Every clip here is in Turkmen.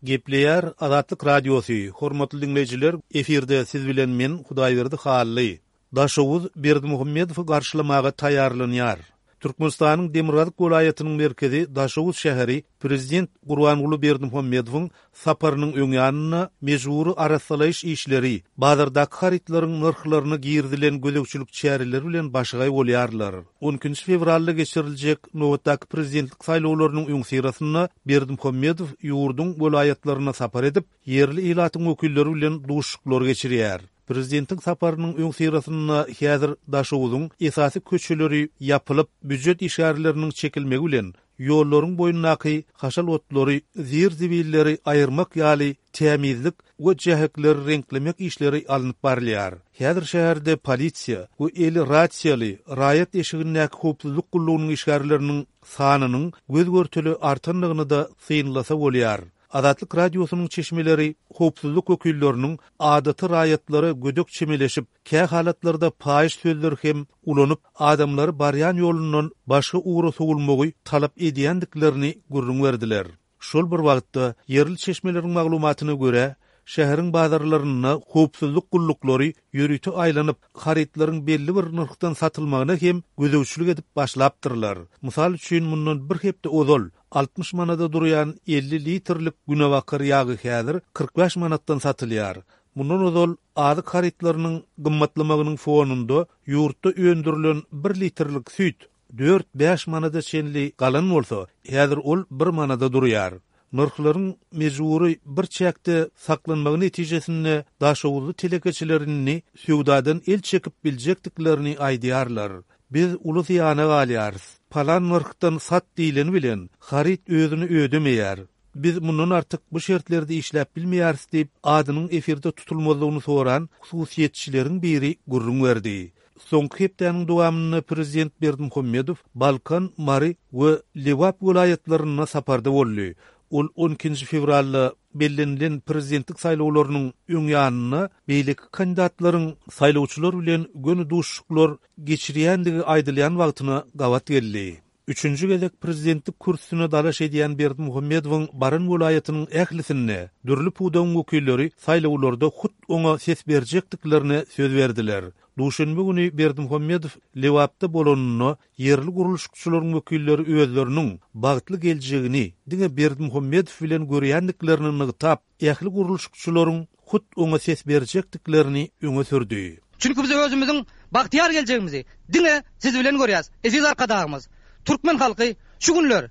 Gepleýär Azatlyk Radiosy, Hormatly diňleýjiler, efirde siz bilen men, Hudaýberdi Hally. Daşoguz Berdimuhamedowy garşylamaga taýýarlanýar. Türkmenistanyň demirgazyk welaýatynyň merkezi Daşoguz şäheri prezident Gurbanguly Berdimuhamedowyň saparynyň öň ýanynda mejbury arassalaýyş işleri, bazardaky harytlaryň nyrhlaryna girizilen gözegçilik çäreleri bilen başagaý bolýarlar. On ikinji fewralda geçiriljek nobatdaky prezidentlik saýlawlarynyň öňüsyrasynda Berdimuhamedow ýurduň welaýatlaryna sapar edip, ýerli ilatyň wekilleri bilen duşuşyklar geçirýär. Prezidentiň saparynyň öňüsyrasynda häzir Daşoguzyň esasy köçeleri ýapylyp, býujet işgärleriniň çekilmegi bilen, ýollaryň boýundaky haşal otlary, zir-zibilleri aýyrmak ýaly tämizlik we jähekleri reňklemek işleri alnyp barylýar. Häzir şäherde polisiýa we eli rasiýaly raýat eşigindäki howpsuzlyk gullugynyň işgärleriniň sanynyň göz-görtele artandygyny-da synlasa bolýar. Azatlyk Radiosynyň çeşmeleri howpsuzlyk wekilleriniň adaty raýatlara gödek çemeleşip, kä halatlarda paýyş sözleri hem ulanyp, adamlary barýan ýolundan başga ugra sowulmagy talap edýändiklerini gürrüň berdiler. Şol bir wagtda, ýerli çeşmeleriň maglumatyna görä, şäheriň bazarlarynda howpsuzlyk gulluklary ýörite aýlanyp, harytlaryň belli bir nyrhdan satylmagyna hem gözegçilik edip başlapdyrlar. Mysal üçin, mundan bir hepde ozal 60 manada durýan 50 litrlik günebakar ýagy häzir 45 manatdan satylýar. Mundan ozal azyk harytlarynyň gymmatlamagynyň fonunda ýurtda öndürilen bir litrlik süýt dört-bäş manada çenli galan bolsa, häzir ol bir manada durýar. Nyrhlaryň mejbury bir çäkde saklanmagy netijesinde daşoguzly telekeçiler indi söwdadan el çekip biljekdiklerini aýdýarlar. Biz uly zyýana galýarys. Palan nyrhdan sat diýleni bilen, haryt özüni ödemeýär. Biz mundan artyk bu şertlerde işläp bilmeýäris diýip, adynyň efirde tutulmazlygyny soran hususyýetçileriň biri gürrüň berdi. Soňky hepdäniň dowamynda prezident Berdimuhamedow Balkan, Mary we Lebap welaýatlarynda saparda boldy. Ol on ikinji fewralda bellenilen prezidentlik saýlawlarynyň öň ýanynda beýleki kandidatlaryň saýlawçylar bilen göni duşuşyklar geçirýändigi aýdylýan wagtyna gabat geldi. Üçünji gezek prezidentlik kürsüsine dalaş edýän Berdimuhamedowyň baran welaýatynyň ählisinde dürli pudagyň wekilleri saýlawlarda hut oňa ses berjekdiklerine söz berdiler. Duşenbe güni Berdimuhamedow Lebapda bolanynda ýerli gurluşykçylaryň wekilleri özleriniň bagtly geljegini diňe Berdimuhamedow bilen görýändiklerini nygtap, ähli gurluşykçylaryň hut oňa ses berjekdiklerini öňe sürdi. Çünki biz özümiziň bagtyýar geljegimizi diňe Siz bilen görýäris, eziz Arkadagymyz! Türkmen halky şu günler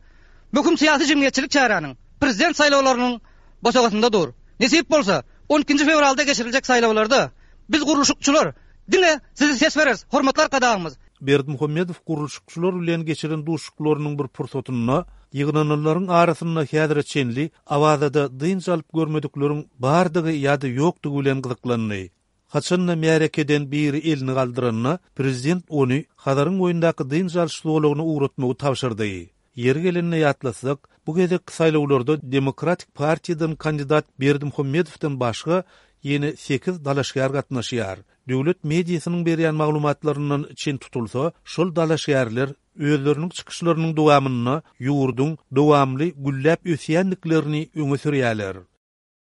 möhüm syýasy-jemgyýetçilik çäräniň, Prezident saýlawlarynyň bosagasynda dur. Nesip bolsa, on ikinji fewralda geçiriljek saýlawlarda biz gurluşykçylar diňe Size ses bereris, hormatly Arkadagymyz! Berdimuhamedow gurluşykçylar bilen geçiren duşuşyklarynyň bir pursatynda ýygnananlaryň arasynda häzire çenli Awazada dynç alyp görmedikleriň bardygy ýa-da ýokdugy bilen gyzyklandy. Haçan-da märekeden biri elini galdyranda, prezident ony Hazaryň boýundaky dynç alyş zolagyna ugratmagy tabşyrdy. Ýeri gelende ýatlatsak, bu gezekki saýlawlarda Demokratik partiýadan kandidat Berdimuhamedowdan başga ýene sekiz dalaşgär gatnaşýar. Döwlet mediasynyň berýän maglumatlaryndan çen tutulsa, şol dalaşgärler özleriniň çykyşlarynyň dowamynda ýurduň dowamly gülläp ösýändiklerini öňe sürýärler.